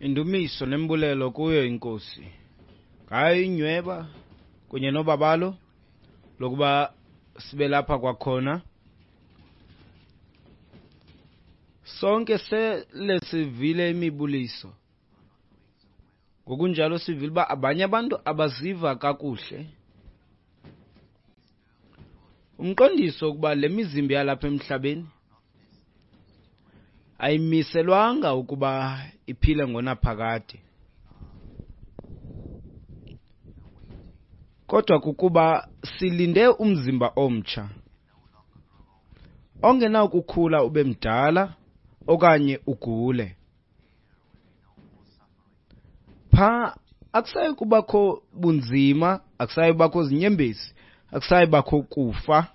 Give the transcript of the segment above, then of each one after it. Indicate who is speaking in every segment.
Speaker 1: Indumiso nembulelo kuyo iNkosi ngayo inyweba kunye nobabalo lokuba sibe lapha kwakhona. Sonke sele sivile imibuliso. Ngokunjalo sivile uba abanye abantu abaziva kakuhle. Umqondiso ukuba le mizimba yalapha emhlabeni ayimiselwanga ukuba iphile ngonaphakade, kodwa kukuba silinde umzimba omtsha ongenakukhula ube mdala okanye ugule. Pha akusayi kubakho bunzima, akusayi kubakho zinyembezi, akusayi bakho kufa.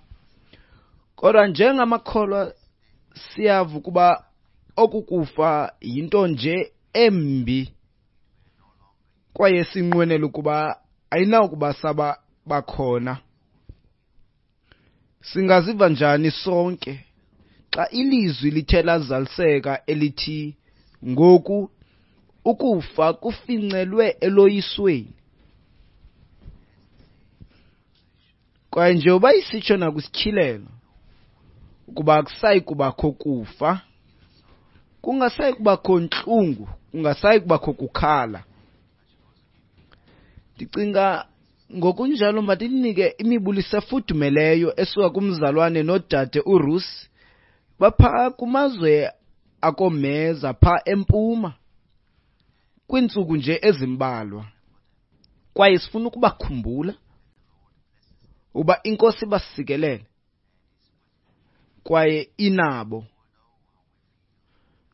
Speaker 1: Kodwa njengamakholwa siyava ukuba oku kufa yinto nje embi, kwaye sinqwenela ukuba ayinawukuba saba bakhona. Singaziva njani sonke xa ilizwi lithe lazaliseka elithi ngoku ukufa kufincelwe eloyisweni? Kwaye njengoba isitsho nakwisityhilelo ukuba akusayi kubakho kufa, kungasayi kubakho ntlungu, kungasayi kubakho kukhala. Ndicinga ngokunjalo mandinike imibuliso efudumeleyo esuka kumzalwane nodade uRusi bapha kumazwe akoomeza pha empuma kwiintsuku nje ezimbalwa. Kwaye sifuna ukubakhumbula uba iNkosi ibasikelele kwaye inabo.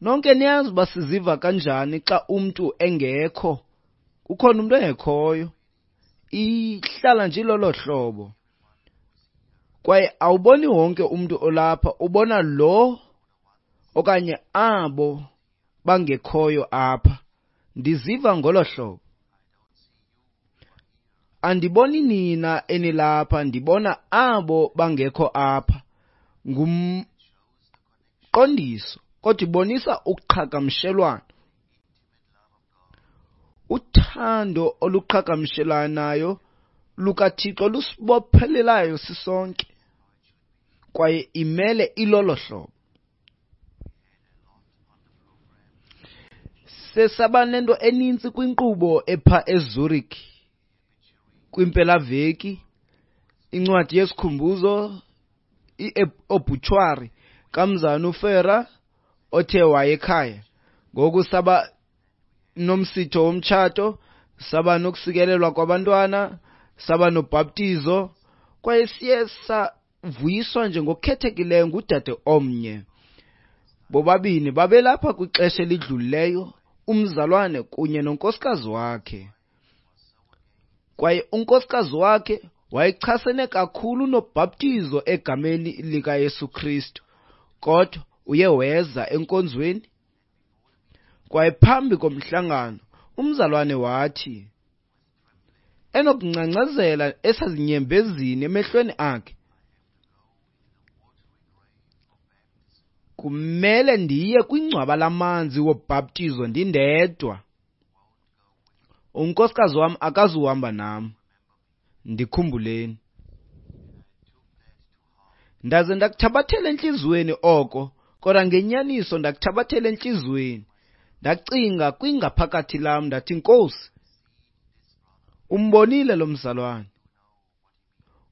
Speaker 1: Nonke niyazi uba siziva kanjani xa umntu engekho, kukhona umntu engekhoyo. Ihlala nje ilolo hlobo. Kwaye awuboni wonke umntu olapha, ubona lo okanye abo bangekhoyo apha. Ndiziva ngolo hlobo. Andiboni nina enilapha, ndibona abo bangekho apha. Ngumqondiso, kodwa ibonisa uqhagamshelwano. Uthando oluqhagamshelanayo lukaThixo lusibophelelayo sisonke, kwaye imele ilolo hlobo. Sesaba nento enintsi kwinkqubo epha eZurich kwimpelaveki, incwadi yesikhumbuzo, i-obituary kamzana uFera othe wayekhaya. Ngoku saba nomsitho womtshato, saba nokusikelelwa kwabantwana, saba nobhaptizo, kwaye siye savuyiswa nje ngokukhethekileyo ngudade omnye. Bobabini babelapha kwixesha elidlulileyo, umzalwane kunye nonkosikazi wakhe. Kwaye unkosikazi wakhe wayechasene kakhulu nobhaptizo egameni likaYesu Kristu, kodwa uye weza enkonzweni. Kwaye phambi komhlangano umzalwane wathi, enokungcangcazela esazinyembezini emehlweni akhe, kumele ndiye kwingcwaba lamanzi wobhaptizo ndindedwa. Unkosikazi wam akazuhamba nam. Ndikhumbuleni. Ndaze ndakuthabathela entliziyweni oko, kodwa ngenyaniso ndakuthabathela entliziyweni. Ndacinga kwingaphakathi lam, ndathi, Nkosi, umbonile lo mzalwane.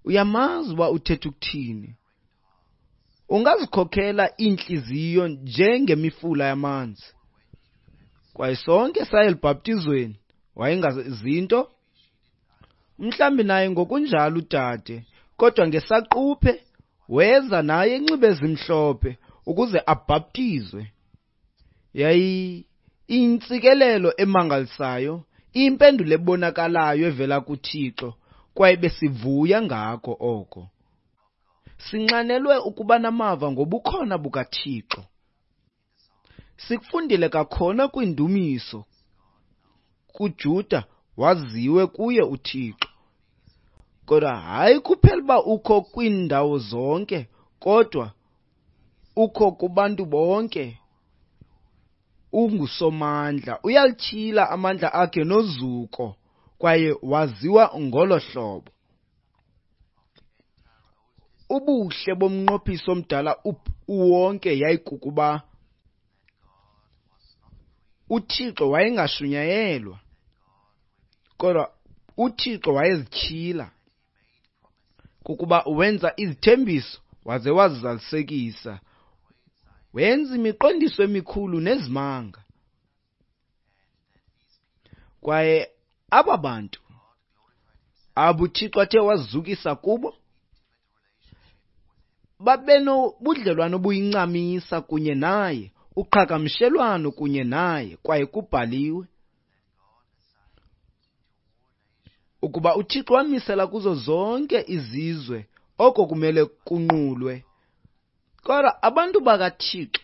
Speaker 1: Uyamazi uba uthetha ukuthini. Ungazikhokhela iintliziyo njengemifula yamanzi. Kwaye sonke saya elubhaptizweni, wayengazinto. Mhlawumbi naye ngokunjalo udade, kodwa ngesaquphe weza naye enxibe ezimhlophe ukuze abhaptizwe. Yayiyintsikelelo emangalisayo, impendulo ebonakalayo evela kuThixo, kwaye besivuya ngako oko. Sinxanelwe ukuba namava ngobukhona bukaThixo. Sikufundile kakhona kwindumiso kuJuda waziwe kuye uThixo. Kodwa hayi kuphela uba ukho kwiindawo zonke, kodwa ukho kubantu bonke. unguSomandla, uyalityhila amandla akhe nozuko, kwaye waziwa ngolo hlobo. Ubuhle bomnqophiso omdala uwonke yayikukuba uThixo wayengashunyayelwa, kodwa uThixo wayezityhila kukuba wenza izithembiso waze wazizalisekisa, wenza imiqondiso emikhulu nezimanga. Kwaye aba bantu abo uThixo athe wazizukisa kubo babenobudlelwane obuyincamisa kunye naye, uqhagamshelwano kunye naye, kwaye kubhaliwe ukuba uThixo wamisela kuzo zonke izizwe oko kumele kunqulwe. Kodwa abantu bakaThixo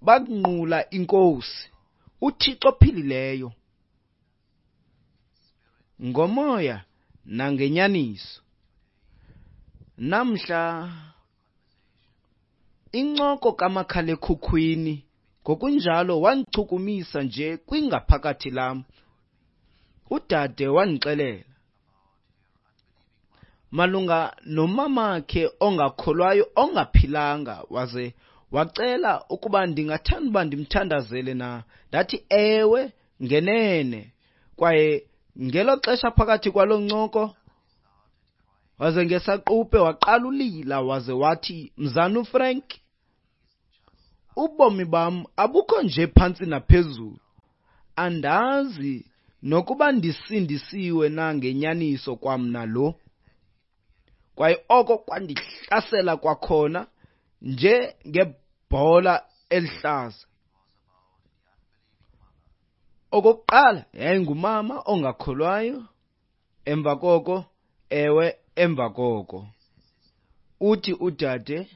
Speaker 1: bakunqula iNkosi, uThixo ophilileyo, ngomoya nangenyaniso. Namhla incoko kamakhalekhukhwini ngokunjalo wandichukumisa nje kwingaphakathi lam. Udade wandixelela malunga nomamakhe ongakholwayo ongaphilanga, waze wacela ukuba ndingathanda uba ndimthandazele na. Ndathi ewe, ngenene. Kwaye ngelo xesha phakathi kwaloo ncoko, waze ngesaquphe waqala ulila, waze wathi, Mzana uFrank, ubomi bam abukho nje phantsi naphezulu. Andazi nokuba ndisindisiwe na ngenyaniso kwamna lo. Kwaye oko kwandihlasela kwakhona nje ngebhola elihlaza. Okokuqala yayingumama ongakholwayo, emva koko, ewe, emva koko uthi udade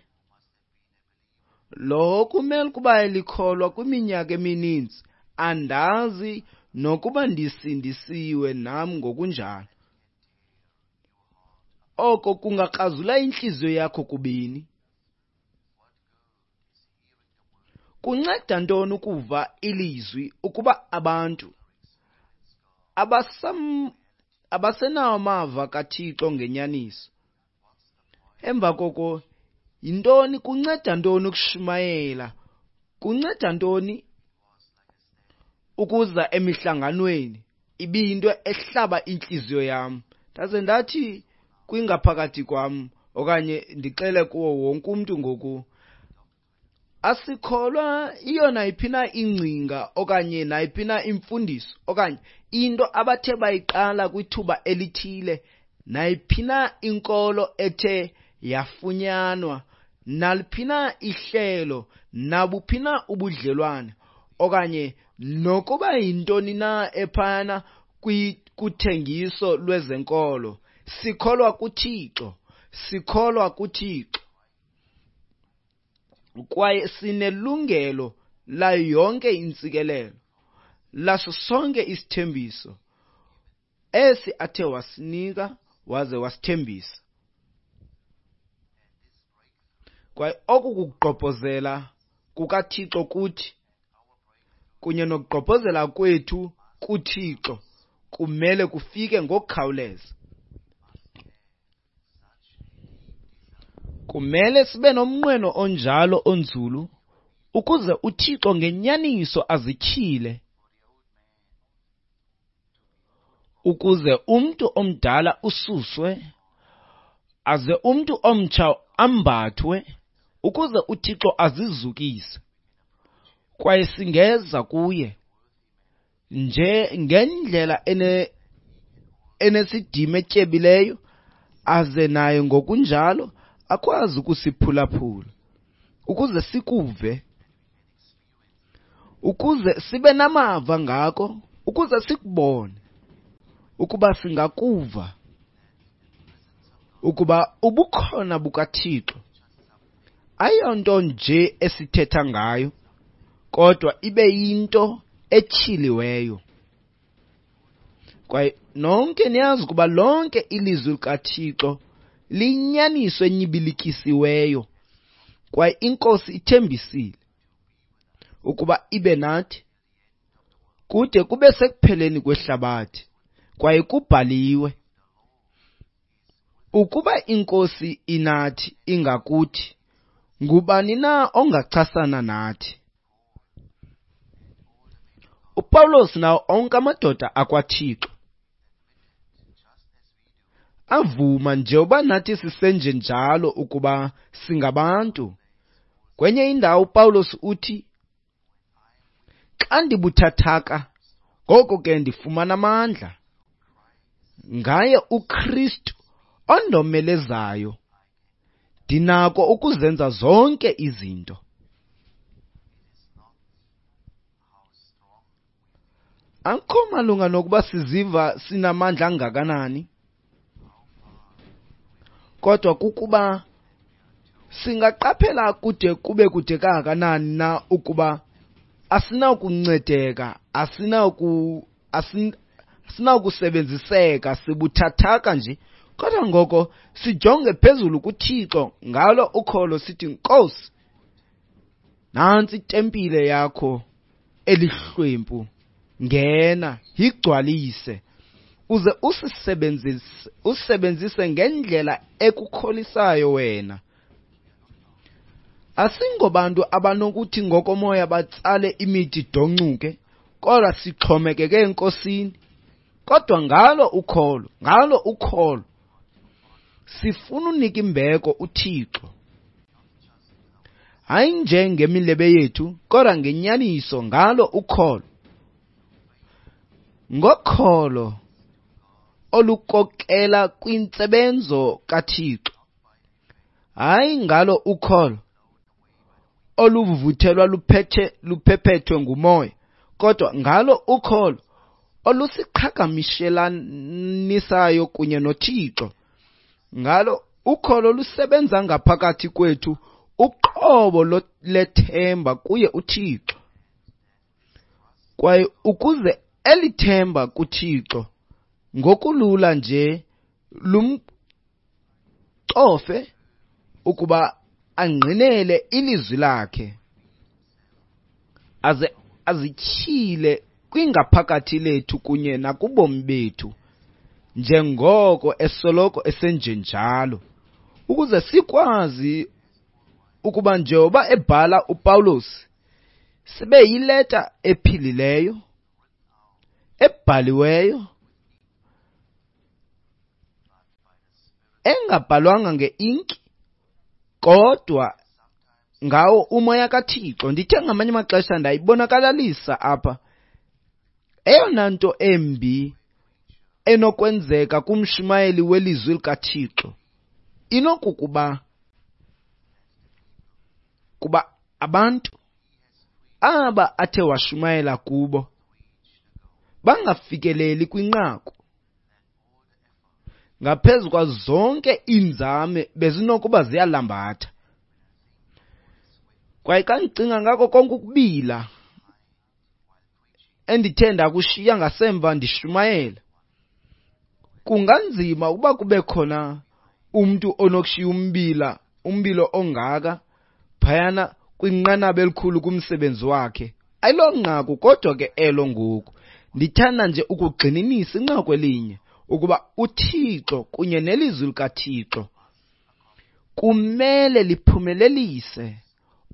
Speaker 1: lo kumele ukuba elikholwa kwiminyaka emininzi, andazi nokuba ndisindisiwe nam ngokunjalo. Oko kungakrazula intliziyo yakho kubini. Kunceda ntoni ukuva ilizwi ukuba abantu abasenawo amava kaThixo ngenyaniso? Emva koko, yintoni, kunceda ntoni ukushumayela? Kunceda ntoni ukuza emihlanganweni? Ibiyinto ehlaba intliziyo yam. Ndaze ndathi kwingaphakathi kwam, okanye ndixele kuwo wonke umntu ngoku, asikholwa iyo nayiphi na ingcinga okanye nayiphi na imfundiso okanye into abathe bayiqala kwithuba elithile, nayiphi na inkolo ethe yafunyanwa, naliphi na ihlelo, nabuphi na ubudlelwane, okanye nokuba yintoni na ephayana kuthengiso lwezenkolo. Sikholwa kuThixo, sikholwa kuThixo. Kwaye sinelungelo layo yonke intsikelelo, laso sonke isithembiso esi athe wasinika waze wasithembisa. Kwaye oku kugqobhozela kukaThixo kuthi kunye nokugqobhozela kwethu kuThixo kumele kufike ngokukhawuleza. Kumele sibe nomnqweno onjalo onzulu ukuze uThixo ngenyaniso azityhile, ukuze umntu omdala ususwe, aze umntu omtsha ambathwe, ukuze uThixo azizukise. Kwaye singeza kuye nje ngendlela enesidima etyebileyo, aze naye ngokunjalo akwazi ukusiphulaphula, ukuze sikuve, ukuze sibe namava ngako, ukuze sikubone, ukuba singakuva, ukuba ubukhona bukaThixo ayonto nje esithetha ngayo, kodwa ibe yinto etyhiliweyo. Kwaye nonke niyazi ukuba lonke ilizwi likaThixo liyinyaniso enyibilikisiweyo, kwaye iNkosi ithembisile. ukuba ibe nathi kude kube sekupheleni kwehlabathi. Kwaye kubhaliwe, ukuba iNkosi inathi ingakuthi, ngubani na ongachasana nathi? UPawulos nawo onke amadoda akwaThixo avuma njengoba nathi sisenjenjalo ukuba singabantu. Kwenye indawo uPawulos uthi, xa ndibuthathaka, ngoko ke ndifumana amandla ngaye uKristu ondomelezayo. Ndinako ukuzenza zonke izinto. Akukho malunga nokuba siziva sinamandla angakanani, kodwa kukuba singaqaphela kude kube kude kangakanani na ukuba asinakuncedeka, asinakusebenziseka, sibuthathaka nje. Kodwa ngoko sijonge phezulu kuThixo ngalo ukholo, sithi, Nkosi, nantsi itempile yakho elihlwempu, ngena, yigcwalise, uze usebenzise ngendlela ekukholisayo wena. Asingobantu abanokuthi ngokomoya batsale imithi doncuke, kodwa sixhomekeke eNkosini. Kodwa ngalo ukholo, sifuna unika imbeko uThixo. Hayi nje ngemilebe yethu, kodwa ngenyaniso ngalo ukholo. Ngokholo olukokela kwintsebenzo kaThixo. Hayi ngalo ukholo oluvuthelwa luphephethwe ngumoya, kodwa ngalo ukholo olusiqhagamshelanisayo kunye noThixo. Ngalo ukholo lusebenza ngaphakathi kwethu uqobo lethemba kuye uThixo. Kwaye ukuze elithemba kuThixo ngokulula nje lumcofe ukuba angqinele ilizwi lakhe, aze azityhile kwingaphakathi lethu kunye nakubomi bethu, njengoko esoloko esenjenjalo, ukuze sikwazi ukuba njengoba ebhala uPawulos, sibe yileta ephilileyo, ebhaliweyo, engabhalwanga ngeinki, kodwa ngawo umoya kaThixo. Ndithe ngamanye amaxesha ndayibonakalalisa apha eyona nto embi enokwenzeka kumshumayeli welizwi likaThixo inokukuba kuba abantu aba athe washumayela kubo bangafikeleli kwinqaku. Ngaphezu kwazo zonke iinzame bezinokuba ziyalambatha. Kwaye xa ndicinga ngako konke ukubila endithe ndakushiya ngasemva ndishumayela, kunganzima ukuba kube khona umntu onokushiya umbilo ongaka phayana kwinqanaba elikhulu kumsebenzi wakhe. Ayilonqaku kodwa ke elo ngoku. Ndithanda nje ukugxininisa inqaku elinye, ukuba uThixo kunye nelizwi likaThixo kumele liphumelelise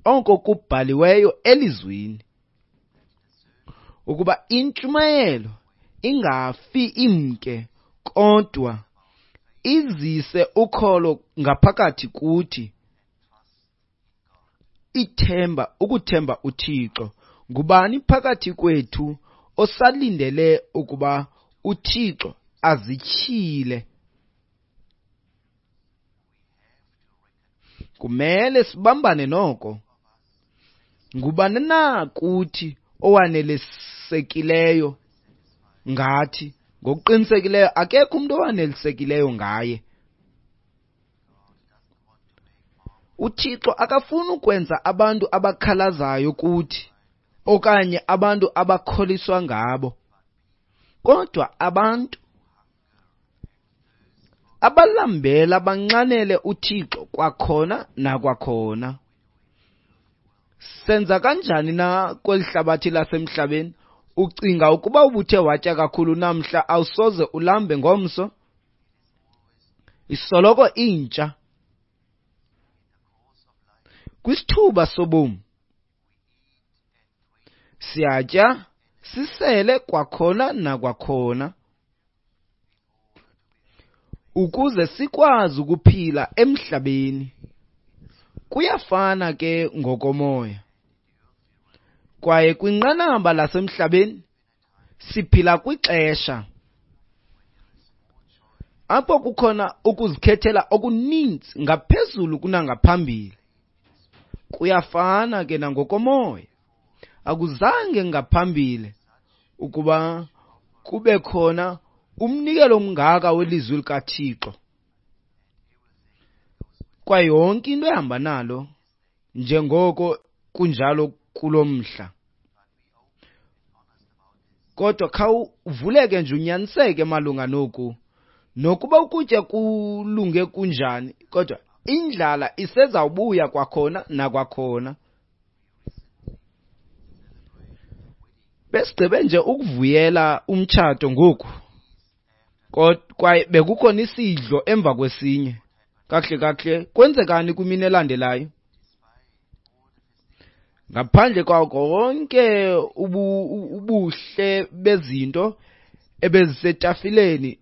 Speaker 1: oko kubhaliweyo elizwini, ukuba intshumayelo ingafi imke, kodwa izise ukholo ngaphakathi kuthi, ithemba, ukuthemba uThixo. Ngubani phakathi kwethu osalindele ukuba uThixo azityhile? Kumele sibambane noko. Ngubani na kuthi owanelisekileyo ngathi? Ngokuqinisekileyo akekho umuntu owanelisekileyo ngaye. UThixo akafuni ukwenza abantu abakhalazayo kuthi okanye abantu abakholiswa ngabo, kodwa abantu abalambela banxanele uThixo kwakhona nakwakhona. Senza kanjani na kweli hlabathi lasemhlabeni? Ucinga ukuba ubuthe watya kakhulu namhla awusoze ulambe ngomso? Isoloko intsha. Kwisithuba sobomi siyatya, sisele kwakhona nakwakhona ukuze sikwazi ukuphila emhlabeni. Kuyafana ke ngokomoya. Kwaye kwinqanaba lasemhlabeni siphila kwixesha apho kukhona ukuzikhethela okuninzi ngaphezulu kunangaphambili. Kuyafana ke nangokomoya. Akuzange ngaphambili ukuba kube khona umnikelo omngaka welizwi likaThixo. Kwaye yonke into ehamba nalo njengoko kunjalo kulo mhla. Kodwa khawuvuleke nje unyaniseke malunga noku. Nokuba ukutya kulunge kunjani, kodwa indlala isezawubuya kwakhona nakwakhona. Besigqibe nje ukuvuyela umtshato ngoku, kwaye bekukhona isidlo emva kwesinye. Kakuhle kakuhle, kwenzekani kwimini elandelayo? Ngaphandle kwako wonke ubuhle bezinto ebezisetafileni,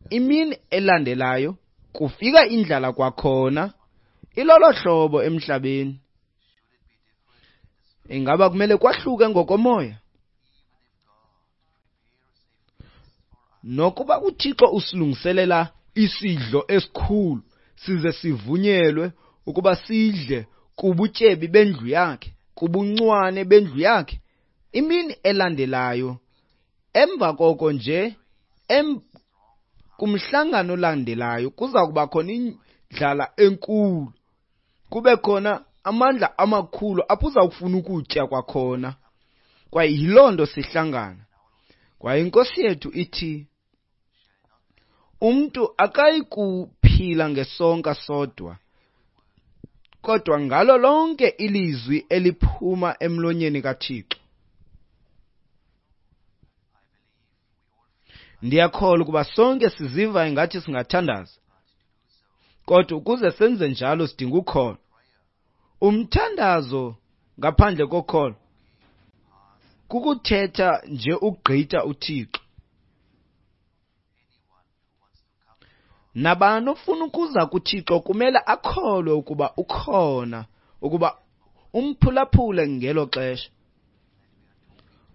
Speaker 1: imini elandelayo kufika indlala kwakhona. Ilolo hlobo emhlabeni. Ingaba kumele kwahluke ngokomoya? Nokuba uThixo usilungiselela isidlo esikhulu size sivunyelwe ukuba sidle kubutyebi bendlu yakhe, kubuncwane bendlu yakhe, imini elandelayo emva koko nje kumhlangano olandelayo kuza kuba khona indlala enkulu, kube khona amandla amakhulu apho uzawufuna ukutya kwakhona. Kwaye yiloo nto sihlangana. Kwaye inkosi yethu ithi umntu akayi kuphila ngesonka sodwa, kodwa ngalo lonke ilizwi eliphuma emlonyeni kaThixo. Ndiyakholwa ukuba sonke siziva ingathi singathandaza, kodwa ukuze senze njalo sidinga ukholo. Umthandazo ngaphandle kokholo kukuthetha nje ukugqitha uThixo. Nabani ofuna ukuza kuThixo kumele akholwe ukuba ukhona, ukuba umphulaphule ngelo xesha,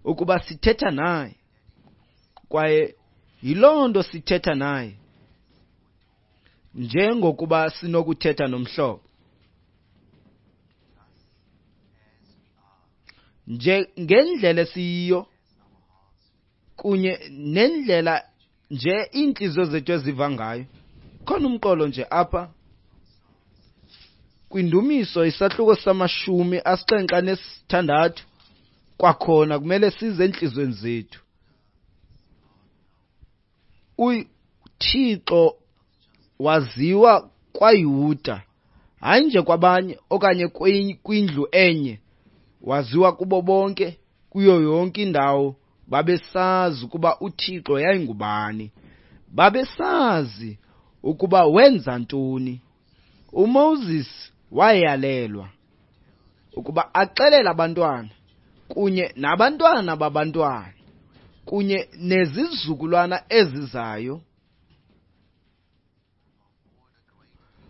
Speaker 1: ukuba sithetha naye. Kwaye yiloo nto sithetha naye, njengokuba sinokuthetha nomhlobo. Nje ngendlela esiyiyo kunye nendlela nje iintliziyo zethu eziva ngayo. Khona umqolo nje apha kwindumiso isahluko sama-76, kwakhona kumele size entliziyweni zethu. UThixo waziwa kwaYuda, hayi nje kwabanye okanye kwindlu enye, waziwa kubo bonke, kuyo yonke indawo. Babesazi ukuba uThixo yayingubani, babesazi ukuba wenza ntoni. uMoses wayalelwa ukuba axelele abantwana kunye nabantwana babantwana kunye nezizukulwana ezizayo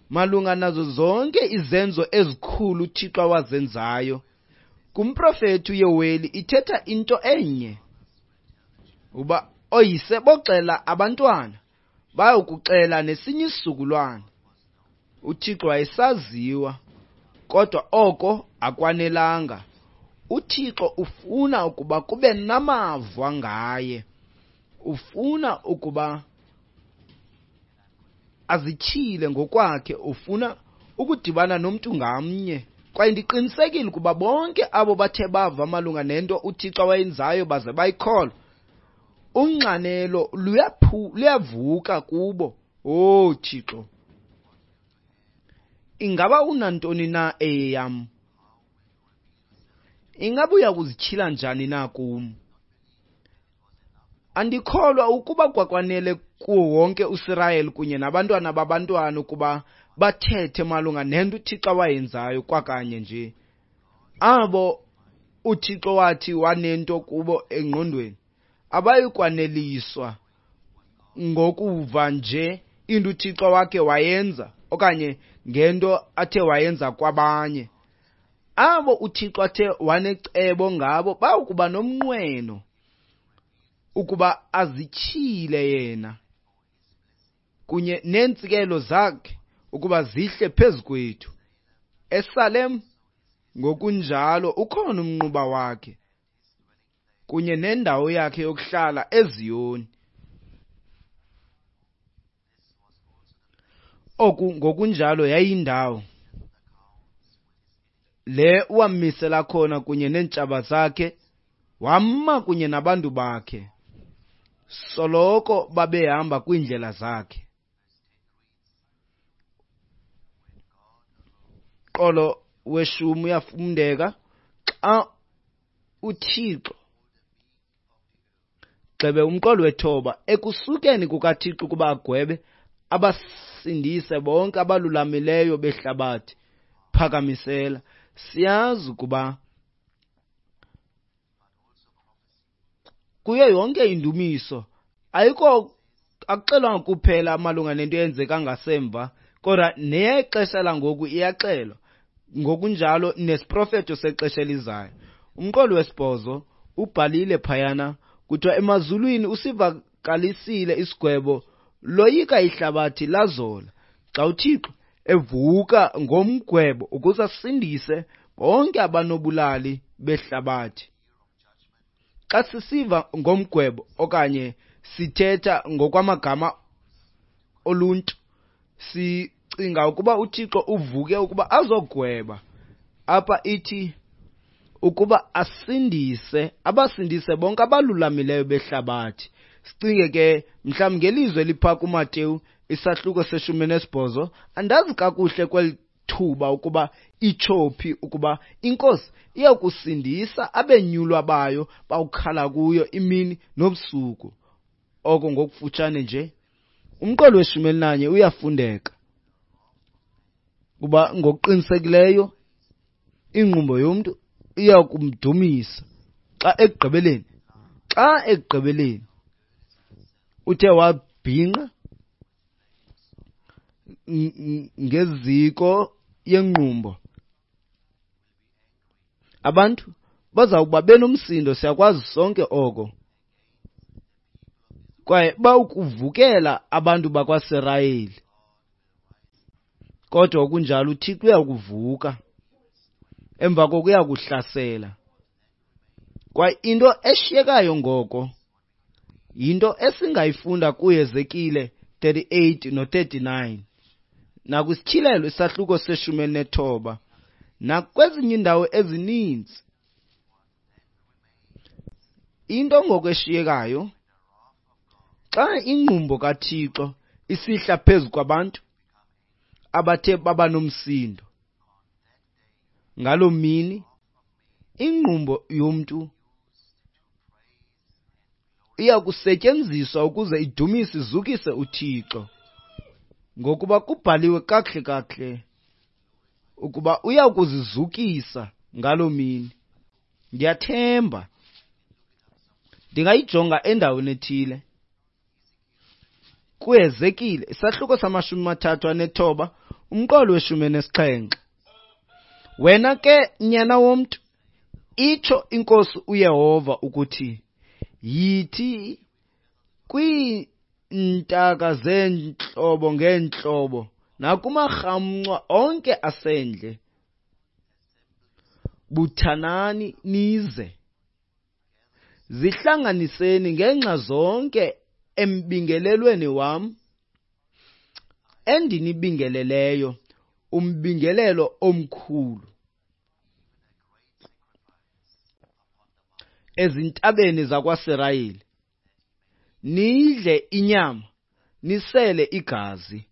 Speaker 1: malunga nazo zonke izenzo ezikhulu uThixo awazenzayo. Kumprofeti uYoweli ithetha into enye, uba oyise boxela abantwana, bayokuxela nesinye isizukulwana. uThixo wayesaziwa, kodwa oko akwanelanga. uThixo ufuna ukuba kube namava ngaye, ufuna ukuba azityhile ngokwakhe, ufuna ukudibana nomntu ngamnye. Kwaye ndiqinisekile ukuba bonke abo bathe bava malunga nento uThixo awayenzayo baze bayikholwa, unxanelo luyavuka kubo. Oh Thixo, ingaba unantoni na eyeyam? Ingaba uya kuzityhila njani na kum? Andikholwa ukuba kwakwanele kuwo wonke uSirayeli kunye nabantwana babantwana ukuba bathethe malunga nento uThixo awayenzayo kwakanye nje. Abo uThixo wathi wanento kubo engqondweni abayi kwaneliswa ngokuva nje into uThixo wakhe wayenza okanye ngento athe wayenza kwabanye. Abo uThixo athe wanecebo ngabo bawukuba nomnqweno ukuba azityhile yena kunye neentsikelo zakhe ukuba zihle phezu kwethu. ESalem ngokunjalo ukhona umnquba wakhe kunye nendawo yakhe yokuhlala eZiyoni. Oku ngokunjalo yayindawo le wammisela khona kunye neentshaba zakhe, wama kunye nabantu bakhe, soloko babehamba kwiindlela zakhe. Qolo weshumi uyafundeka xa uThixo gxebe umqolo wethoba ekusukeni kukaThixo ukuba agwebe abasindise bonke abalulamileyo behlabathi. Phakamisela. Siyazi ukuba kuyo yonke indumiso ayikho akuxelwanga kuphela malunga nento eyenzeka ngasemva, kodwa neyexesha langoku iyaxelwa, ngokunjalo nesiprofeto sexesha elizayo. Umqolo wesibhozo ubhalile phayana, kuthiwa emazulwini usivakalisile isigwebo, loyika ihlabathi lazola. Xa uThixo evuka ngomgwebo ukuze asindise bonke abanobulali behlabathi. Xa sisiva ngomgwebo okanye sithetha ngokwamagama oluntu, sicinga ukuba uThixo uvuke ukuba azogweba. Apha ithi ukuba asindise, abasindise bonke abalulamileyo behlabathi. Sicinge ke mhlawumbi ngelizwi elipha kuMateyu isahluko se-18. Andazi kakuhle kweli thuba ukuba itsho phi ukuba iNkosi iyakusindisa abenyulwa bayo bawukhala kuyo imini nobusuku. Oko ngokufutshane nje. Umqolo we-11 uyafundeka kuba ngokuqinisekileyo ingqumbo yomntu iya kumdumisa xa ekugqibeleni uthe wabhinqa ngeziko yengqumbo. Abantu bazawuba benomsindo, siyakwazi sonke oko, kwaye bawukuvukela abantu bakwaSirayeli. Kodwa okunjalo uThixo uyakuvuka, emva koko uyakuhlasela. Kwaye into eshiyekayo ngoko yinto esingayifunda kuHezekile 38 no-39 nakwiSityhilelo isahluko se-19 nakwezinye iindawo ezininzi. Into ngoko eshiyekayo xa ingqumbo kaThixo isihla phezu kwabantu abathe baba nomsindo ngaloo mini, ingqumbo yomntu iya kusetyenziswa ukuze idumise izukise uThixo, ngokuba kubhaliwe kakuhle kakuhle ukuba uya kuzizukisa ngaloo mini. Ndiyathemba ndingayijonga endaweni ethile. KuHezekile isahluko sama-39 umqolo we-17. Wena ke nyana womntu, itsho iNkosi uYehova ukuthi, yithi kwiintaka zeentlobo ngeentlobo nakumarhamncwa onke asendle, buthanani nize, zihlanganiseni ngeenxa zonke embingelelweni wam endinibingeleleyo, umbingelelo omkhulu ezintabeni zakwaSirayeli. Nidle inyama, nisele igazi.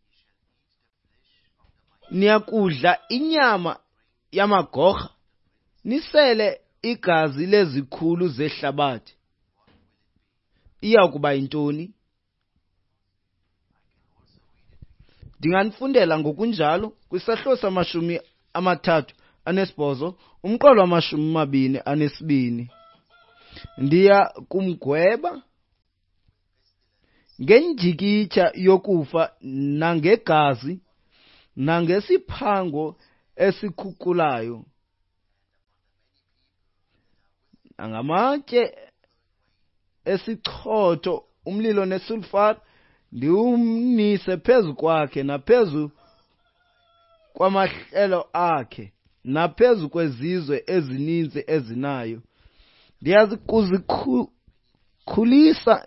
Speaker 1: Niyakudla inyama yamagorha, nisele Igazi lezikhulu zehlabathi iya kuba yintoni? Ndinganifundela ngokunjalo kwisahluko sama-38 umqolo wama-22. Ndiya kumgweba ngendyikityha yokufa nangegazi nangesiphango esikhukulayo nangamatye esichotho, umlilo nesulfar, ndiwumnise phezu kwakhe naphezu kwamahlelo akhe naphezu kwezizwe ezininzi ezinayo. Ndiya kuzikhulisa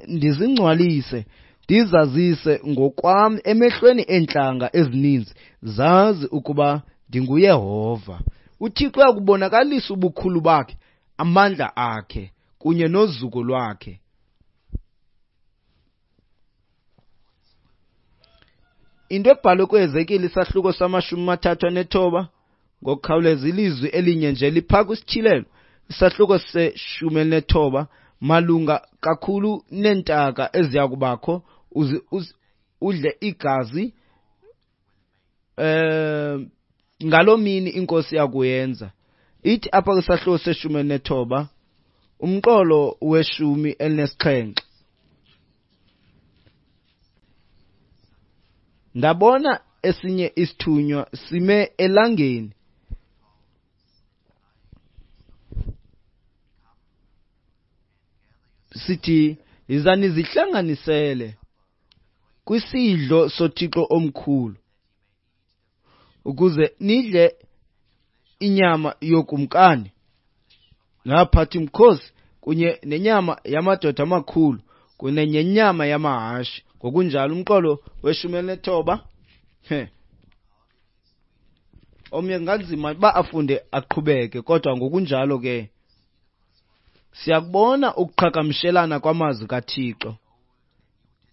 Speaker 1: ndizingcwalise, ndizazise ngokwam emehlweni eentlanga ezininzi, zazi ukuba ndinguYehova. UThixo uyakubonakalisa ubukhulu bakhe, amandla akhe kunye nozuko lwakhe. Into ebhalwe kuHezekile isahluko sama-39 ngokukhawuleza ilizwi elinye nje liphaa kwisityhilelo isahluko se-19 malunga kakhulu neentaka eziya kubakho uze udle igazi ngaloo mini inkosi yakuyenza. Ithi apha kwisahluko se-19 umqolo we-17. Ndabona esinye isithunywa sime elangeni. Sithi, yiza nizihlanganisele kwisidlo soThixo omkhulu, ukuze nidle inyama yokumkani nabaphathi mkhosi kunye nenyama yamadoda amakhulu kunye nenyama yamahashe. Ngokunjalo umqolo we-19. He. Omnye kunganzima uba afunde aqhubeke, kodwa ngokunjalo ke siyakubona ukuqhagamshelana kwamazwi kaThixo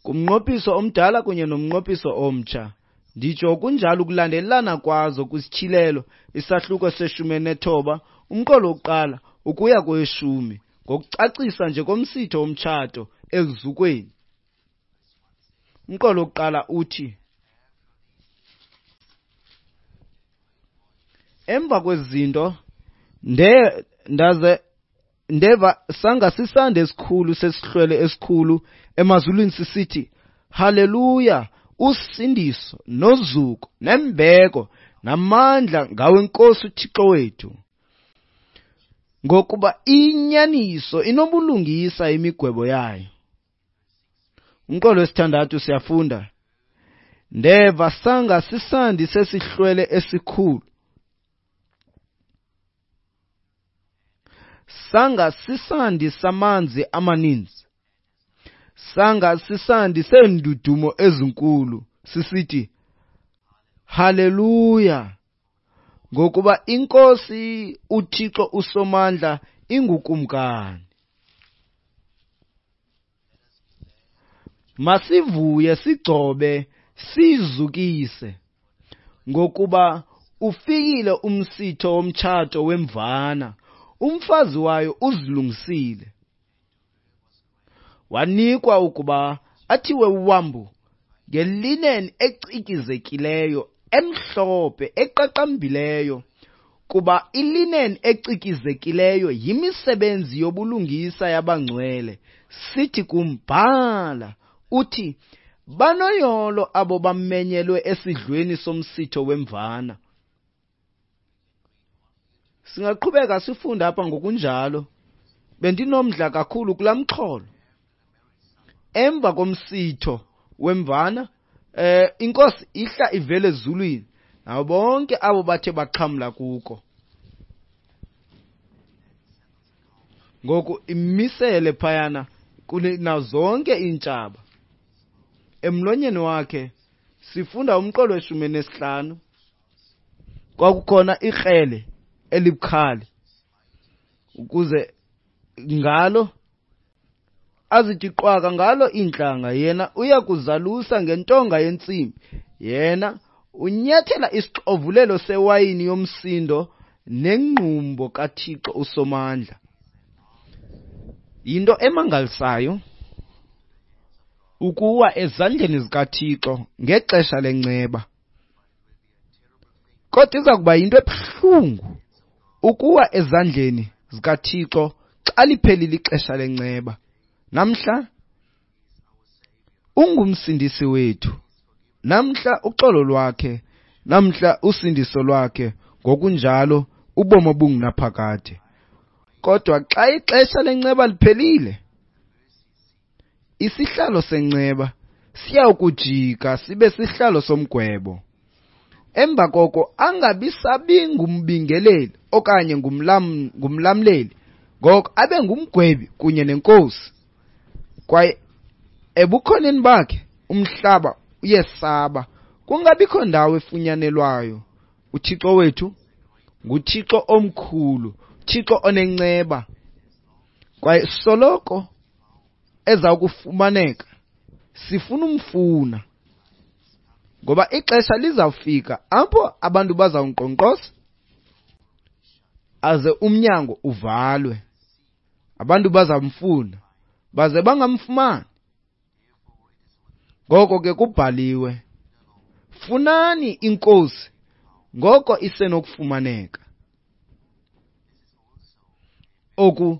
Speaker 1: kumnqophiso omdala kunye nomnqophiso omtsha. Nditsho kunjalo ukulandelelana kwazo kwisityhilelo isahluko se-19 umqolo wokuqala ukuya koweshumi, ngokucacisa nje komsitho womtshato eluzukweni. Umqolo wokuqala uthi, emva kwezi zinto ndaze ndeva sanga sisandi esikhulu sesihlwele esikhulu emazulwini sisithi, Haleluya, usindiso nozuko nembeko namandla ngawenkosi uThixo wethu, ngokuba inyaniso inobulungisa imigwebo yayo. Umqolo wesithandathu siyafunda, ndeva sanga sisandi sesihlwele esikhulu, sanga sisandi samanzi amaninzi, sanga sisandi seendudumo ezinkulu, sisithi, Haleluya, ngokuba iNkosi uThixo uSomandla ingukumkani. Masivuye sigcobe sizukise, ngokuba ufikile umsitho womtshato wemvana, umfazi wayo uzilungisile. Wanikwa ukuba athiwe wambu ngelinen ecikizekileyo, emhlophe, eqaqambileyo, kuba ilinen ecikizekileyo yimisebenzi yobulungisa yabangcwele. Sithi kumbhala uthi, banoyolo abo bamenyelwe esidlweni somsitho wemvana. Singaqhubeka sifunda apha ngokunjalo. Bendinomdla kakhulu kulaa mxholo. Emva komsitho wemvana, inkosi ihla ivele ezulwini nabo bonke abo bathe baxhamla kuko. Ngoku imisele phayana nazo zonke iintshaba. Emlonyeni wakhe sifunda umqolo we-15. Kwakukhona ikrele elibukhali, ukuze ngalo azithi qwaka ngalo iintlanga. Yena uya kuzalusa ngentonga yentsimbi. Yena unyathela isixovulelo sewayini yomsindo nengqumbo kaThixo uSomandla. Yinto emangalisayo ukuwa ezandleni zikaThixo ngexesha lenceba. Kodwa iza kuba yinto ebuhlungu ukuwa ezandleni zikaThixo xa liphelile ixesha lenceba. Namhla ungumsindisi wethu. Namhla uxolo lwakhe, namhla usindiso lwakhe, ngokunjalo ubomi obungunaphakade. Kodwa xa ixesha lenceba liphelile, isihlalo senceba siyawukujika sibe sihlalo somgwebo. Emva koko angabi sabi ngumbingeleli okanye ngumlamleli, ngoko abe ngumgwebi kunye nenkosi. Kwaye ebukhoneni bakhe umhlaba uyesaba, kungabikho ndawo efunyanelwayo. UThixo wethu nguThixo omkhulu, Thixo onenceba, kwaye soloko eza kufumaneka. Sifuna umfuna, ngoba ixesha lizawufika apho abantu bazawunkqonkqoza aze umnyango uvalwe. Abantu bazamfuna baze bangamfumani. Ngoko ke kubhaliwe, funani iNkosi ngoko isenokufumaneka. Oku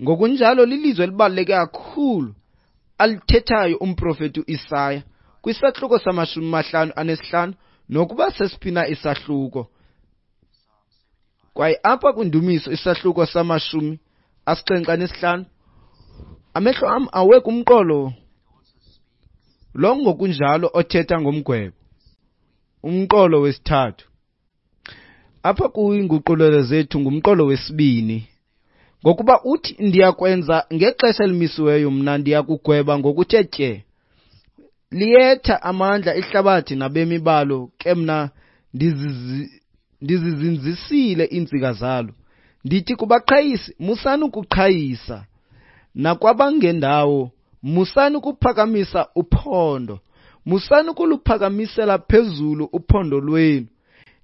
Speaker 1: ngokunjalo lilizwi elibaluleke kakhulu alithethayo umprofeti uIsaya kwisahluko sama-55 nokuba sesiphi na isahluko. Kwaye apha kwindumiso isahluko sama-75, amehlo am awe kumqolo lo ngokunjalo othetha ngomgwebo, umqolo wesithathu. Apha kwiinguqulelo zethu ngumqolo wesibini. Ngokuba uthi, ndiyakwenza ngexesha elimisiweyo, mna ndiyakugweba ngokuthe tye. Liyetha amandla ihlabathi nabemi balo, ke mna ndizizinzisile iintsika zalo. Ndithi kubaqhayisi, musani ukuqhayisa, nakwabangendawo, musani ukuphakamisa uphondo, musani ukuluphakamisela phezulu uphondo lwenu.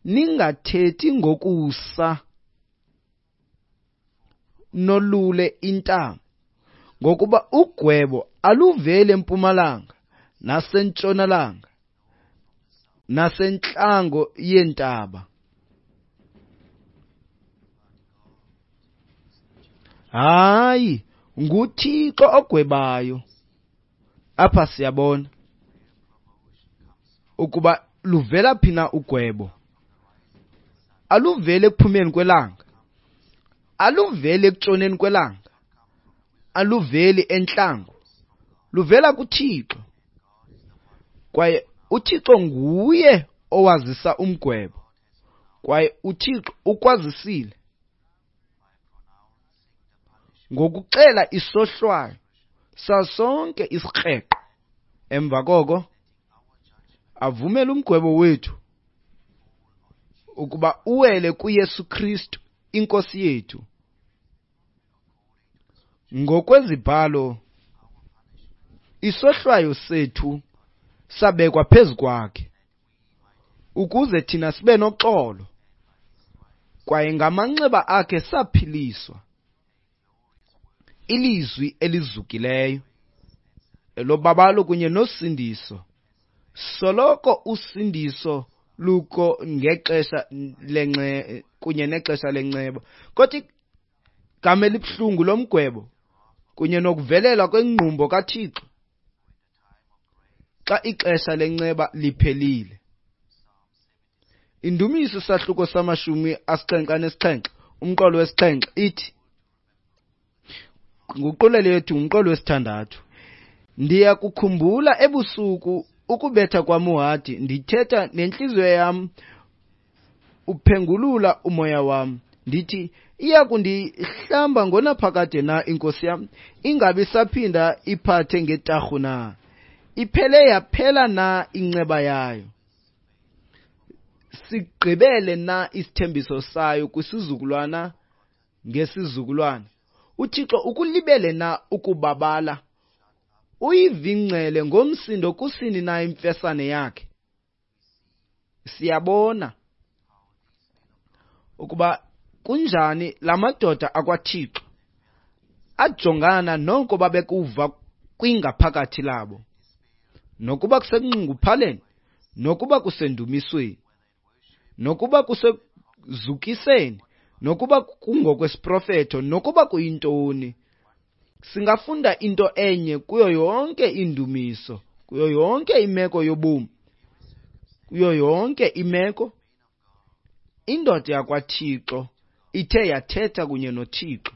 Speaker 1: Ningathethi ngokusa nolule intamo, ngokuba ugwebo aluveli empumalanga nasentshonalanga nasentlango yeentaba. Hayi, nguThixo ogwebayo. Apha siyabona ukuba luvela phi na ugwebo. Aluveli ekuphumeni kwelanga, aluveli ekutshoneni kwelanga, aluveli entlango, luvela kuThixo. Kwaye uThixo nguye owazisa umgwebo, kwaye uThixo ukwazisile ngokuxela isohlwayo sasonke isikreqo. Emva koko avumele umgwebo wethu ukuba uwele kuYesu Kristu iNkosi yethu. Ngokwezibhalo, isohlwayo sethu sabekwa phezu kwakhe ukuze thina sibe noxolo, kwaye ngamanxeba akhe saphiliswa. Ilizwi elizukileyo elobabalo kunye nosindiso. Soloko usindiso lukho ngexesha lenxe kunye nexesha lenceba, kodwa igama elibuhlungu lomgwebo kunye nokuvelela kwengqumbo kaThixo xa ixesha lenceba liphelile. Indumiso isahluko sama-77 umqolo wesixhenxe ithi, nguqulelo yethu ngumqolo wesithandathu, ndiyakukhumbula ebusuku ukubetha kwam uhadi, ndithetha nentliziyo yam, uphengulula umoya wam. Ndithi, iya kundihlamba ngonaphakade na inkosi yam, ingabi saphinda iphathe ngetarhu na? Iphele yaphela na inceba yayo? Sigqibele na isithembiso sayo kwisizukulwana ngesizukulwana? UThixo ukulibele na ukubabala? Uyivingcele ngomsindo kusini na imfesane yakhe? Siyabona ukuba kunjani la madoda akwaThixo ajongana noko babekuva kwingaphakathi labo, nokuba kusekunxunguphaleni, nokuba kusendumisweni, nokuba kusekuzukiseni, nokuba kungokwesiprofeto, nokuba kuyintoni. Singafunda into enye kuyo yonke indumiso, kuyo yonke imeko yobomi, kuyo yonke imeko. Indoda yakwaThixo ithe yathetha kunye noThixo.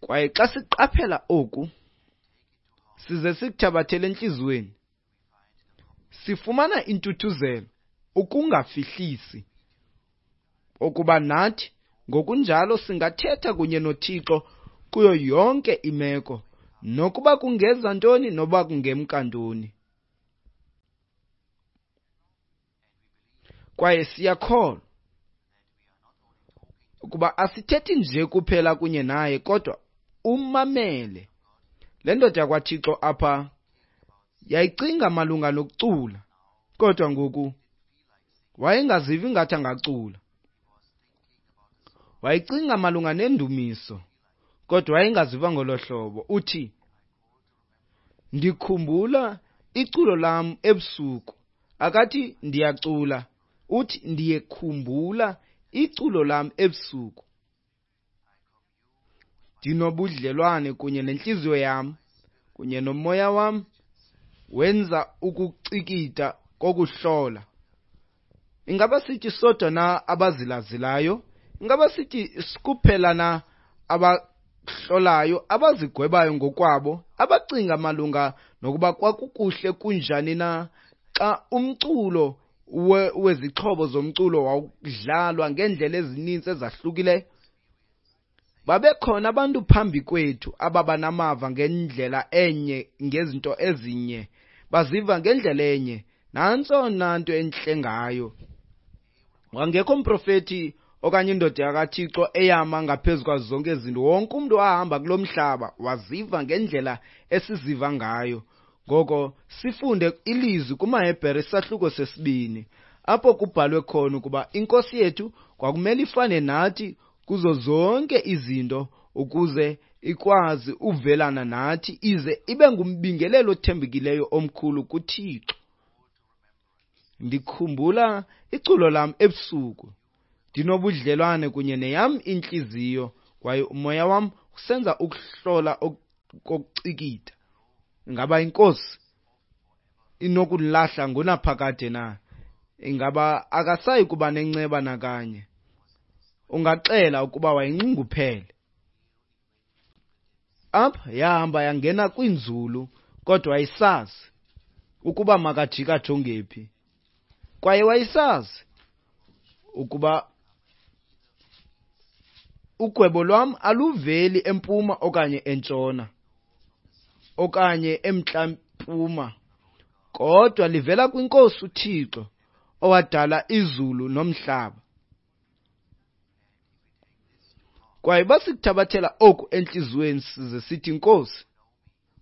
Speaker 1: Kwaye xa siqaphela oku, size sikuthabathele entliziyweni, sifumana intuthuzelo, ukungafihlisi, ukuba nathi ngokunjalo singathetha kunye noThixo kuyo yonke imeko, nokuba kungeza ntoni, nokuba kungemka ntoni. Kwaye siyakholwa ukuba asithethi nje kuphela kunye naye, kodwa umamele. Le ndoda yakwaThixo apha yayicinga malunga nokucula, kodwa ngoku wayengazivi ngathi angacula. Wayecinga malunga nendumiso, kodwa wayengaziva ngolo hlobo. Uthi, ndikhumbula iculo lam ebusuku. Akathi ndiyacula, uthi ndiyekhumbula iculo lam ebusuku. Ndinobudlelwane kunye nentliziyo yam, kunye nomoya wam, wenza ukucikida kokuhlola. Ingaba sithi sodwa na abazilazilayo? Ingaba sithi kuphela na abahlolayo, abazigwebayo ngokwabo, abacinga malunga nokuba kwakukuhle kunjani na xa umculo wezixhobo zomculo wawudlalwa ngeendlela ezininzi ezahlukileyo? Babekhona abantu phambi kwethu ababa namava ngendlela enye, ngezinto ezinye, baziva ngendlela enye. Nantso nanto entle ngayo. Wangekho mprofeti okanye indoda yakaThixo eyama ngaphezu kwazo zonke izinto. Wonke umntu wahamba kulo mhlaba waziva ngendlela esiziva ngayo. Ngoko sifunde ilizwi kumaHebhere isahluko 2, apho kubhalwe khona ukuba iNkosi yethu kwakumele ifane nathi kuzo zonke izinto ukuze ikwazi uvelana nathi, ize ibe ngumbingelelo othembekileyo omkhulu kuThixo. Ndikhumbula iculo lam ebusuku, ndinobudlelwane kunye neyam intliziyo, kwaye umoya wam usenza ukuhlola kokucikida. Ingaba iNkosi inokulahla ngonaphakade na? Ingaba akasayi kuba nenceba nakanye? Ungaxela ukuba wayinxunguphele. Apha yahamba yangena kwinzulu, kodwa wayesazi ukuba makajika ajonge phi. Kwaye wayesazi ukuba ugwebo lwam aluveli empuma okanye entshona okanye emntla-mpuma, kodwa livela kwiNkosi uThixo owadala izulu nomhlaba. Kwaye basikuthabathela oku entliziyweni size sithi, Nkosi,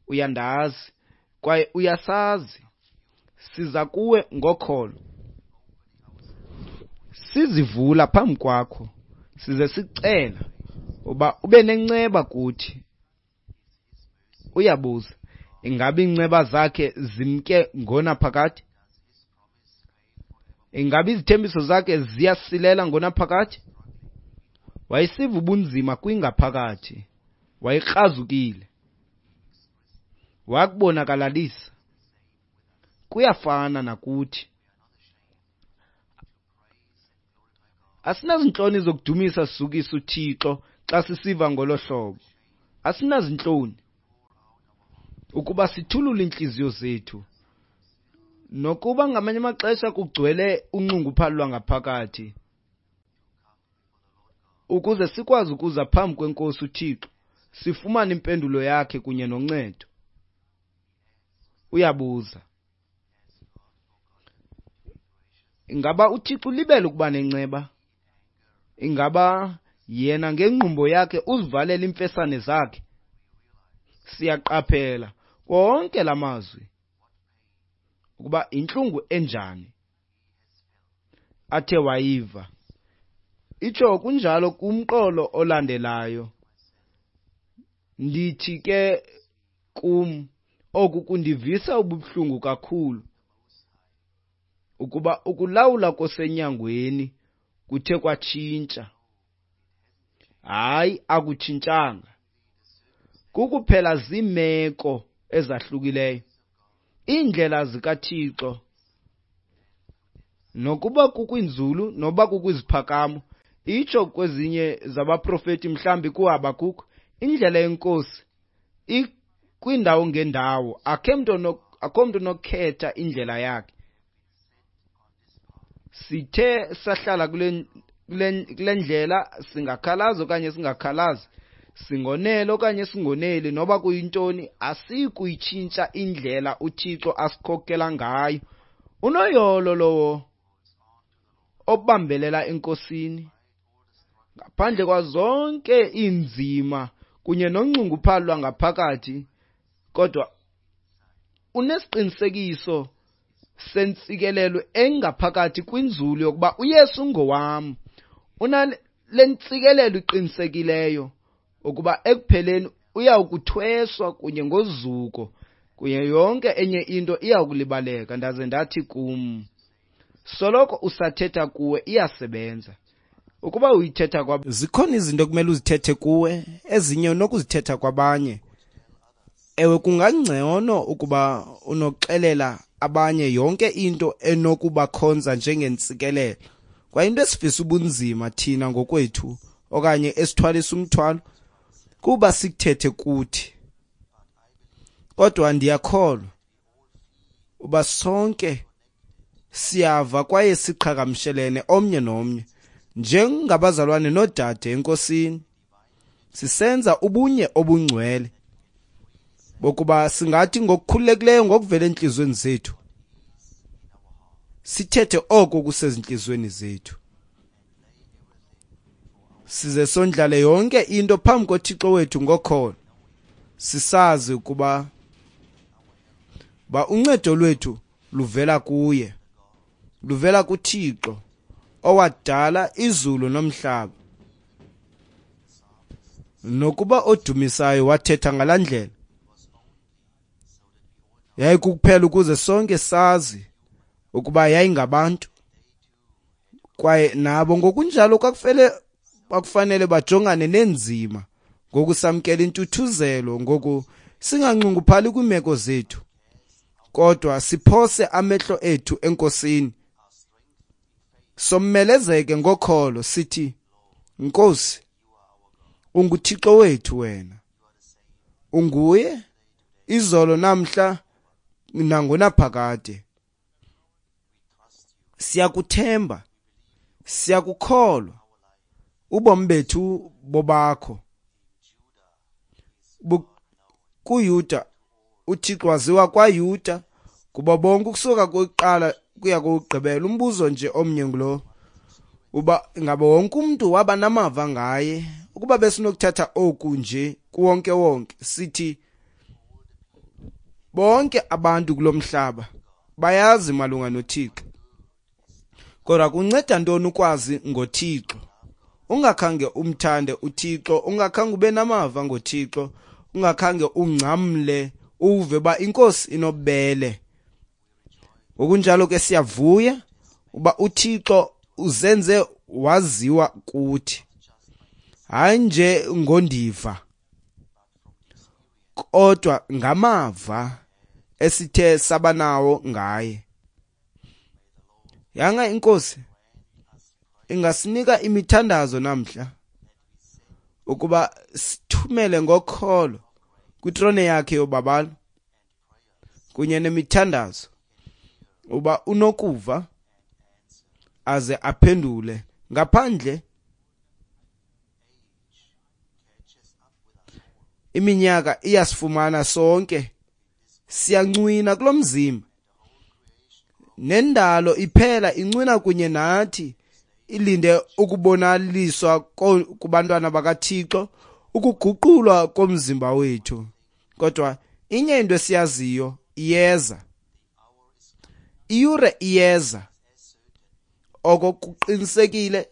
Speaker 1: uyandazi kwaye uyasazi, siza kuwe ngokholo. Sizivula phambi kwakho, size sicela uba ube nenceba kuthi. Uyabuza, ingaba iinceba zakhe zimke ngonaphakade? Ingaba izithembiso zakhe ziyasilela ngonaphakade? Wayesiva ubunzima kwingaphakathi, wayekrazukile, wakubonakalalisa. Kuyafana nakuthi. Asinazintloni zokudumisa sizukisa uThixo xa sisiva ngolo hlobo. Asinazintloni ukuba sithulule iintliziyo zethu, nokuba ngamanye amaxesha kugcwele unxunguphalo lwangaphakathi, ukuze sikwazi ukuza phambi kweNkosi uThixo, sifumane impendulo yakhe kunye noncedo. Uyabuza, ingaba uThixo ulibele ukuba nenceba? Ingaba yena ngengqumbo yakhe uzivalela iimfesane zakhe? Siyaqaphela wonke la mazwi ukuba intlungu enjani athe wayiva. Itsho kunjalo kumqolo olandelayo. Ndithi ke kum, oku kundivisa ubuhlungu kakhulu, ukuba ukulawula kosenyangweni kuthe kwatshintsha. Hayi, akutshintshanga. Kukuphela ziimeko ezahlukileyo. Iindlela zikaThixo, nokuba kukwinzulu noba kukwiziphakamo, itsho kwezinye zabaprofeti mhlawumbi kuHabakuk, indlela yeNkosi ikwindawo ngendawo, akho mntu unokukhetha indlela yakhe. Sithe sahlala kule ndlela, singakhalazi okanye singakhalazi, singonele okanye singoneli, noba kuyintoni, asikuyitshintsha indlela uThixo asikhokela ngayo. Unoyolo lowo obambelela eNkosini ngaphandle kwazonke iinzima kunye nonxunguphalo lwangaphakathi, kodwa unesiqinisekiso sentsikelelo engaphakathi kwinzulu yokuba uYesu ngowam. Unale ntsikelelo iqinisekileyo ukuba ekupheleni uyawukuthweswa kunye ngozuko, kunye yonke enye into iyawukulibaleka. Ndaze ndathi kum, soloko usathetha kuwe iyasebenza. Ukuba uyithetha kwa
Speaker 2: zikhona izinto okumele uzithethe kuwe, ezinye unokuzithetha kwabanye. Ewe, kungangcono ukuba unoxelela abanye yonke into enokubakhonza njengentsikelelo. Kwaye into esivisa ubunzima thina ngokwethu okanye esithwalisa umthwalo kuba sikuthethe kuthi. Kodwa ndiyakholwa uba sonke siyava kwaye siqhagamshelene omnye nomnye njengabazalwane noodade eNkosini, sisenza ubunye obungcwele bokuba singathi ngokukhululekileyo ngokuvela entliziyweni zethu sithethe oko kusezintliziyweni zethu, size sondlale yonke into phambi koThixo wethu ngokholo, sisazi ukuba uncedo lwethu luvela kuye, luvela kuThixo owadala izulu nomhlaba. Nokuba odumisayo wathetha ngalaa ndlela, yayikukuphela ukuze sonke sazi ukuba yayingabantu, kwaye nabo ngokunjalo kwakufanele bajongane neenzima. Ngoku samkela intuthuzelo, ngoku singanxunguphali kwiimeko zethu, kodwa siphose amehlo ethu eNkosini, somelezeke ngokholo, sithi, Nkosi, unguThixo wethu wena, unguye izolo namhla nangonaphakade. Siyakuthemba, siyakukholwa, ubomi bethu bobakho. KuYuda, uThixo waziwa kwaYuda kuba bonke ukusuka kokuqala kuya kokugqibela. Umbuzo nje omnye ngulo, uba ingaba wonke umntu waba namava ngaye? Ukuba besinokuthatha oku nje kuwonke wonke, sithi bonke abantu kulo mhlaba bayazi malunga noThixo. Kodwa kunceda ntoni ukwazi ngoThixo ungakhange umthande uThixo, ungakhange ube namava ngoThixo, ungakhange ungcamle uve ba iNkosi inobubele? Ngokunjalo ke siyavuya uba uThixo uzenze waziwa kuthi, hayi nje ngondiva, kodwa ngamava esithe sabanawo ngaye. Yanga iNkosi ingasinika imithandazo namhla ukuba sithumele ngokholo kwitrone yakhe yobabalo kunye nemithandazo, uba unokuva aze aphendule. Ngaphandle iminyaka iyasifumana sonke, siyancwina kulo mzimba, nendalo iphela incwina kunye nathi, ilinde ukubonaliswa kubantwana bakaThixo, ukuguqulwa komzimba wethu. Kodwa inye into esiyaziyo, iyeza iyure, iyeza. Oko kuqinisekile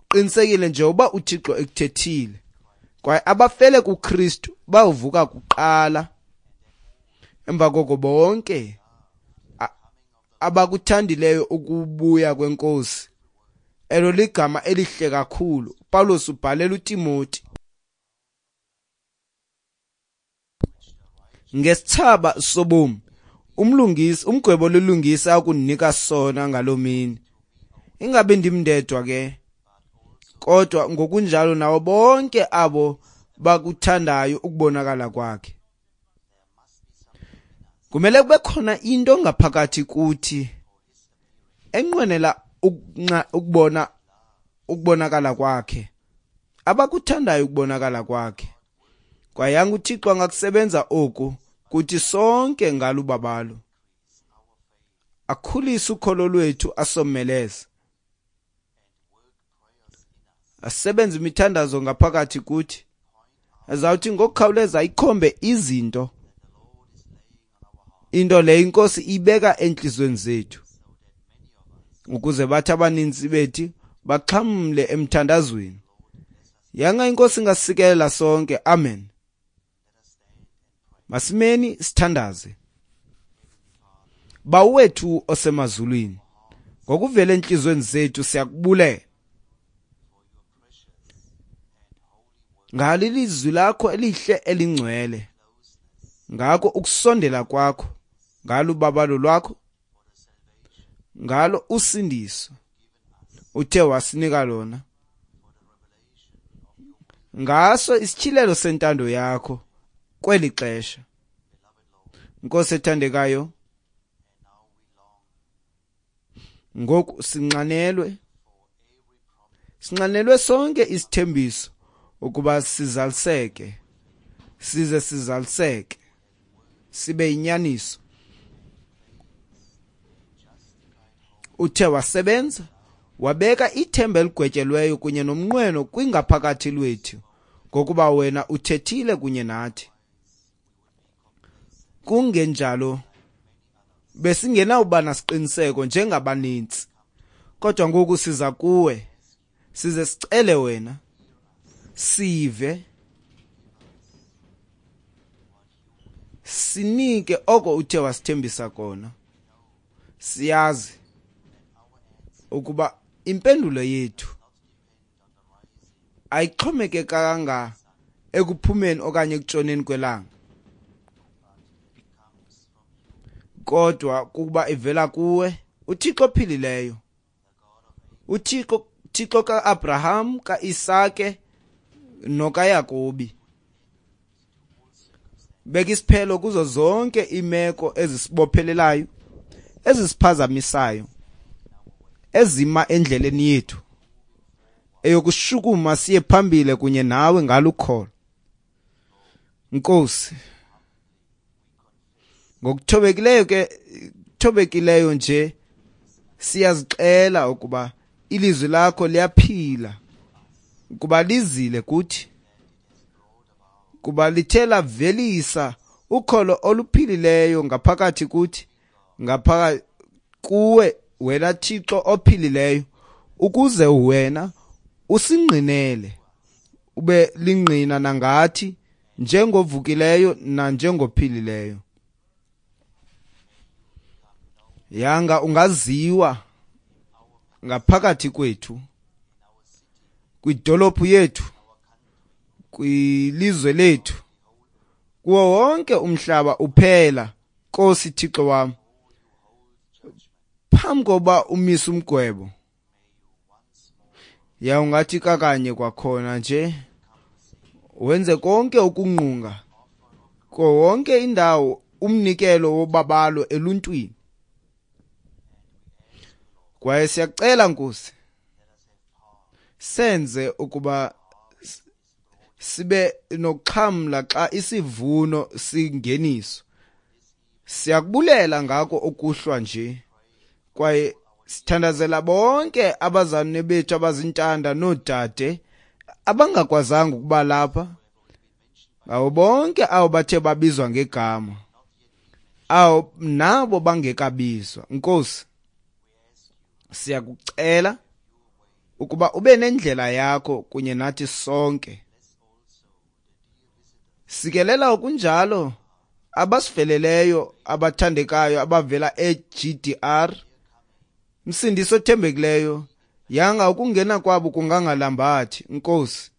Speaker 2: Qinisekile nje uba uThixo ekuthethile. Kwaye abafele kuKristu bawuvuka kuqala. Emva koko bonke abakuthandileyo ukubuya kweNkosi. Elo ligama elihle kakhulu. Pawulos ubhalela uTimoti. Ngesithsaba sobomi, umlungisi, umgwebo olilungisa akundinika sona ngaloo mini. Ingabi ndim ndedwa ke, kodwa ngokunjalo nawo bonke abo bakuthandayo ukubonakala kwakhe. Kumele kube khona into ngaphakathi kuthi enqwenela ukubona ukubonakala kwakhe, abakuthandayo ukubonakala kwakhe. Kwaye yanga uThixo angakusebenza oku kuthi sonke ngalubabalo, akhulise ukholo lwethu, asomeleze, asebenze imithandazo ngaphakathi kuthi, azawuthi ngokukhawuleza ikhombe izinto, into leyo iNkosi ibeka entliziyweni zethu, ukuze bathi abaninzi bethi baxhamle emthandazweni. Yanga iNkosi ingasikelela sonke. Amen. Masimeni sithandaze. Bawo wethu osemazulwini, ngokuvela entliziyweni zethu siyakubulela ngalo ilizwi lakho elihle elingcwele, ngako ukusondela kwakho, ngalo ubabalo lwakho, ngalo usindiso uthe wasinika lona, ngaso isityhilelo sentando yakho kweli xesha. Nkosi ethandekayo, ngoku sinxanelwe sonke isithembiso ukuba sizaliseke, size sizaliseke, sibe yinyaniso. Uthe wasebenza, wabeka ithemba eligwetyelweyo kunye nomnqweno kwingaphakathi lwethu, ngokuba wena uthethile kunye nathi. Kungenjalo besingenawuba nasiqiniseko njengabanintsi, kodwa ngoku siza kuwe, size sicele wena, sive, sinike oko uthe wasithembisa kona. Siyazi ukuba impendulo yethu ayixhomekekanga ekuphumeni okanye ekutshoneni kwelanga, kodwa kuba ivela kuwe, uThixo ophilileyo, uThixo Thixo kaAbraham, kaIsake nokaYakobi. Beka isiphelo kuzo zonke iimeko ezisibophelelayo, ezisiphazamisayo, ezima endleleni yethu eyokushukuma siye phambili kunye nawe ngalukholo. Nkosi, ngokuthobekileyo ke, thobekileyo nje siyazixela ukuba ilizwi lakho liyaphila, kuba lizile kuthi, kuba lithe lavelisa ukholo oluphilileyo ngaphakathi kuthi, ngaphakathi kuwe wena Thixo ophilileyo, ukuze wena usingqinele, ube lingqina nangathi njengovukileyo nanjengophilileyo. Yanga ungaziwa ngaphakathi kwethu, kwidolophu yethu, kwilizwe lethu, kuwo wonke umhlaba uphela. Nkosi Thixo wam, phambi koba umise umgwebo, ya ungathi kakanye kwakhona nje wenze konke ukungqunga ko wonke indawo umnikelo wobabalo eluntwini. Kwaye siyacela Nkosi, senze ukuba sibe nokuxhamla xa isivuno singeniswa. Siyakubulela ngako okuhlwa nje, kwaye sithandazela bonke abazalwane bethu abazintanda noodade abangakwazanga ukuba lapha, ngabo bonke abo bathe babizwa ngegama, awo nabo bangekabizwa. Nkosi, siyakucela ukuba ube nendlela yakho kunye nathi sonke. Sikelela okunjalo abasiveleleyo abathandekayo abavela e-GDR. Msindisi othembekileyo, yanga ukungena kwabo kungangalambathi, Nkosi.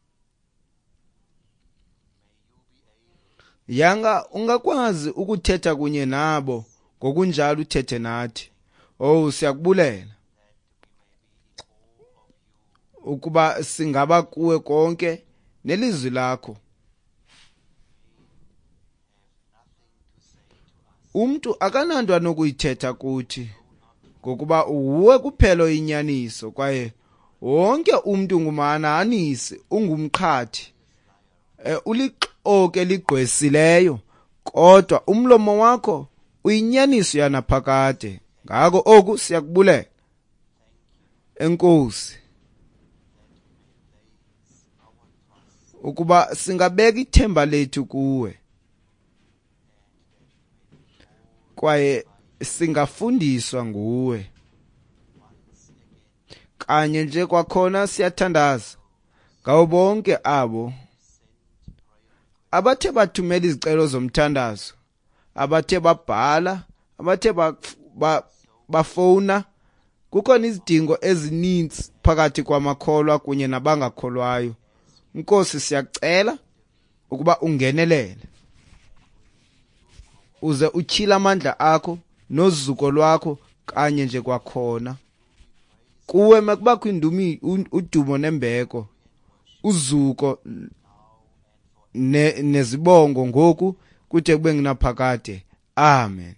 Speaker 2: Yanga ungakwazi ukuthetha kunye nabo ngokunjalo uthethe nathi. Oh, siyakubulela ukuba singaba kuwe konke nelizwi lakho. Umntu akananto anokuyithetha kuthi, ngokuba wuwe kuphela oyinyaniso, kwaye wonke umntu ngumhanahanisi, ungumqhathi, ulixoki eligqwesileyo, kodwa umlomo wakho uyinyaniso yanaphakade. Ngako oku siyakubulela. Enkosi ukuba singabeka ithemba lethu kuwe, kwaye singafundiswa nguwe. Kanye nje kwakhona siyathandaza ngabo bonke abo abathe bathumela izicelo zomthandazo, abathe babhala, abathe bafowuna. Kukhona izidingo ezininzi phakathi kwamakholwa kunye nabangakholwayo. Nkosi, siyacela ukuba ungenelele, uze utyhile amandla akho nozuko lwakho kanye nje kwakhona. Kuwe makubakho udumo nembeko, uzuko nezibongo ngoku kude kube ngunaphakade. Amen.